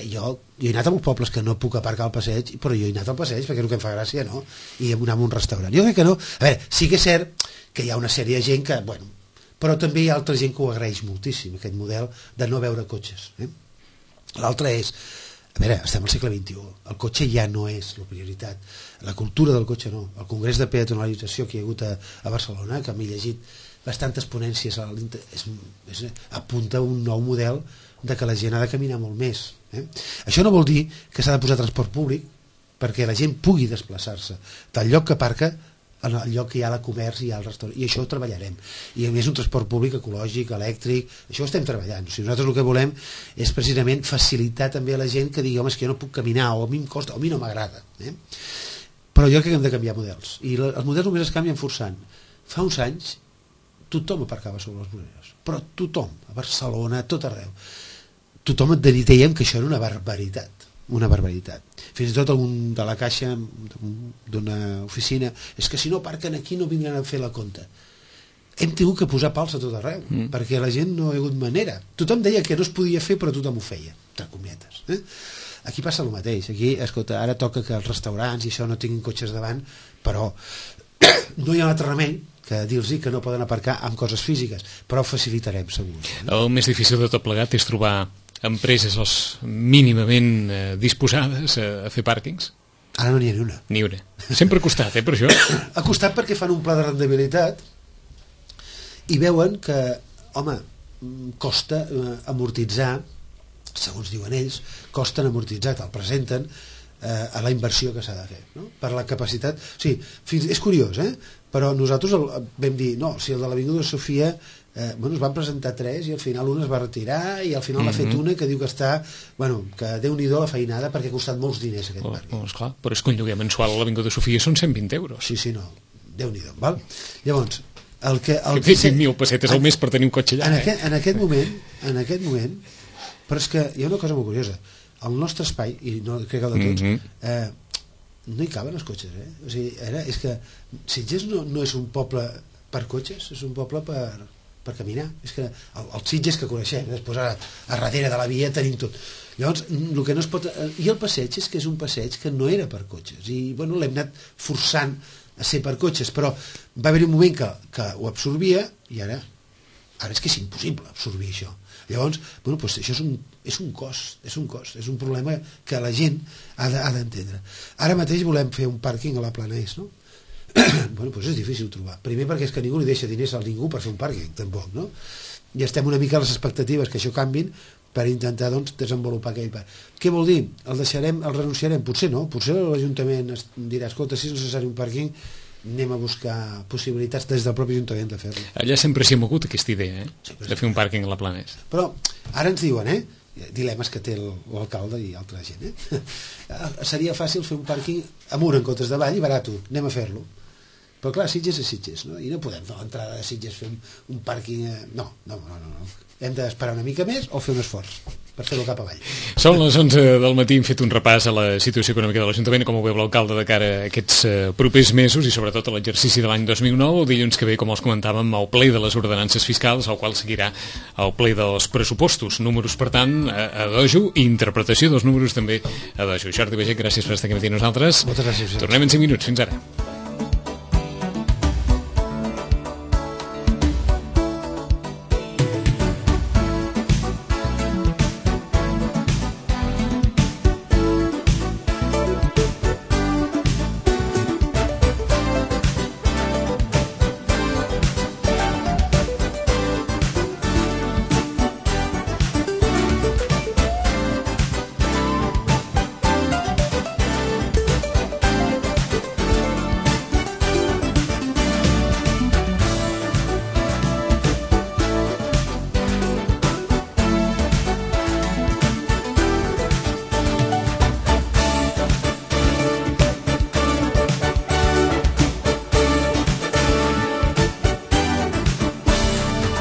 Speaker 3: Jo he anat a molts pobles que no puc aparcar al passeig, però jo he anat al passeig perquè és el que em fa gràcia, no? I anar a un restaurant. Jo crec que no. A veure, sí que és cert que hi ha una sèrie de gent que, bueno, però també hi ha altra gent que ho agraeix moltíssim, aquest model de no veure cotxes. L'altre és, a veure, estem al segle XXI, el cotxe ja no és la prioritat, la cultura del cotxe no. El congrés de peatonalització que hi ha hagut a Barcelona, que m'he llegit bastantes ponències, apunta un nou model de que la gent ha de caminar molt més. Això no vol dir que s'ha de posar transport públic perquè la gent pugui desplaçar-se del lloc que aparca al lloc que hi ha el comerç i hi ha el restaurant, i això ho treballarem. I a més un transport públic ecològic, elèctric, això ho estem treballant. O sigui, nosaltres el que volem és precisament facilitar també a la gent que digui, home, és que jo no puc caminar, o a mi em costa, o a mi no m'agrada. Però jo crec que hem de canviar models, i els models només es canvien forçant. Fa uns anys tothom aparcava sobre les voreres, però tothom, a Barcelona, a tot arreu, tothom et dèiem que això era una barbaritat. Fins i tot algun de la caixa d'una oficina, és que si no aparquen aquí no vindran a fer la compta. Hem tingut que posar pals a tot arreu, perquè la gent no ha hagut manera. Tothom deia que no es podia fer, però tothom ho feia, entre cometes. Aquí passa el mateix. Aquí, escolta, ara toca que els restaurants i això no tinguin cotxes davant, però no hi ha un altre remei que dir-los que no poden aparcar amb coses físiques, però ho facilitarem segur.
Speaker 2: El més difícil de tot plegat és trobar empreses mínimament disposades a fer pàrquings.
Speaker 3: Ara no n'hi ha ni una.
Speaker 2: Ni una. Sempre ha costat, per això.
Speaker 3: Ha costat perquè fan un pla de rendibilitat i veuen que, home, costa amortitzar, segons diuen ells, costen amortitzar, te'l presenten a la inversió que s'ha de fer, no? Per la capacitat. O sigui, és curiós, però nosaltres vam dir, no, si el de l'Avinguda de Sofia es van presentar 3 i al final un es va retirar i al final n'ha fet una que diu que està, que Déu-n'hi-do la feinada perquè ha costat molts diners aquest barri.
Speaker 2: Esclar, però és que un lloguer mensual a l'Avinguda de Sofia són 120 euros.
Speaker 3: Sí, no, Déu-n'hi-do, val? Llavors, el que
Speaker 2: 5.000 pessetes al mes per tenir un cotxe allà.
Speaker 3: En aquest moment, però és que hi ha una cosa molt curiosa. El nostre espai, i no crec que el de tots, no hi caben els cotxes, O sigui, és que Sitges no és un poble per cotxes, és un poble per caminar. És que els Sitges que coneixem, després a darrere de la via tenim tot. Llavors, el que no es pot... I el passeig és que és un passeig que no era per cotxes, i l'hem anat forçant a ser per cotxes, però va haver un moment que ho absorbia, i ara és que és impossible absorbir això. Llavors, bueno, doncs això és un cost, és un problema que la gent ha d'entendre. Ara mateix volem fer un pàrquing a la Planès, no? Bueno, doncs és difícil trobar. Primer perquè és que ningú li deixa diners a ningú per fer un pàrquing, tampoc, no? I estem una mica a les expectatives que això canvin per intentar, doncs, desenvolupar aquell parc. Què vol dir? El renunciarem? Potser no, potser l'Ajuntament dirà, escolta, si és necessari un pàrquing, anem a buscar possibilitats des del propi Ajuntament de fer-lo.
Speaker 2: Allà sempre s'hi ha mogut aquesta idea, de fer un pàrquing a la Planès.
Speaker 3: Però ara ens diuen, dilemes que té l'alcalde i altra gent, seria fàcil fer un pàrquing amunt en comptes d'avall i barat, anem a fer-lo. Però clar, Sitges és Sitges, no? I no podem a l'entrada de Sitges fer un pàrquing... No. Hem d'esperar una mica més o fer un esforç per fer-ho cap avall.
Speaker 2: Són les 11 del matí, hem fet un repàs a la situació econòmica de l'Ajuntament, com ho veu l'alcalde de cara a aquests propers mesos i sobretot a l'exercici de l'any 2009. El dilluns que ve, com els comentàvem, el ple de les ordenances fiscals, al qual seguirà el ple dels pressupostos. Números, per tant, a dojo, i interpretació dels números també a dojo. Jordi Baiget, gràcies per estar aquí amb nosaltres.
Speaker 3: Moltes gràcies.
Speaker 2: Tornem en 5 minuts. Fins ara.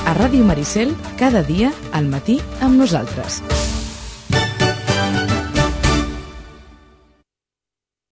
Speaker 1: A Ràdio Maricel, cada dia al matí amb nosaltres.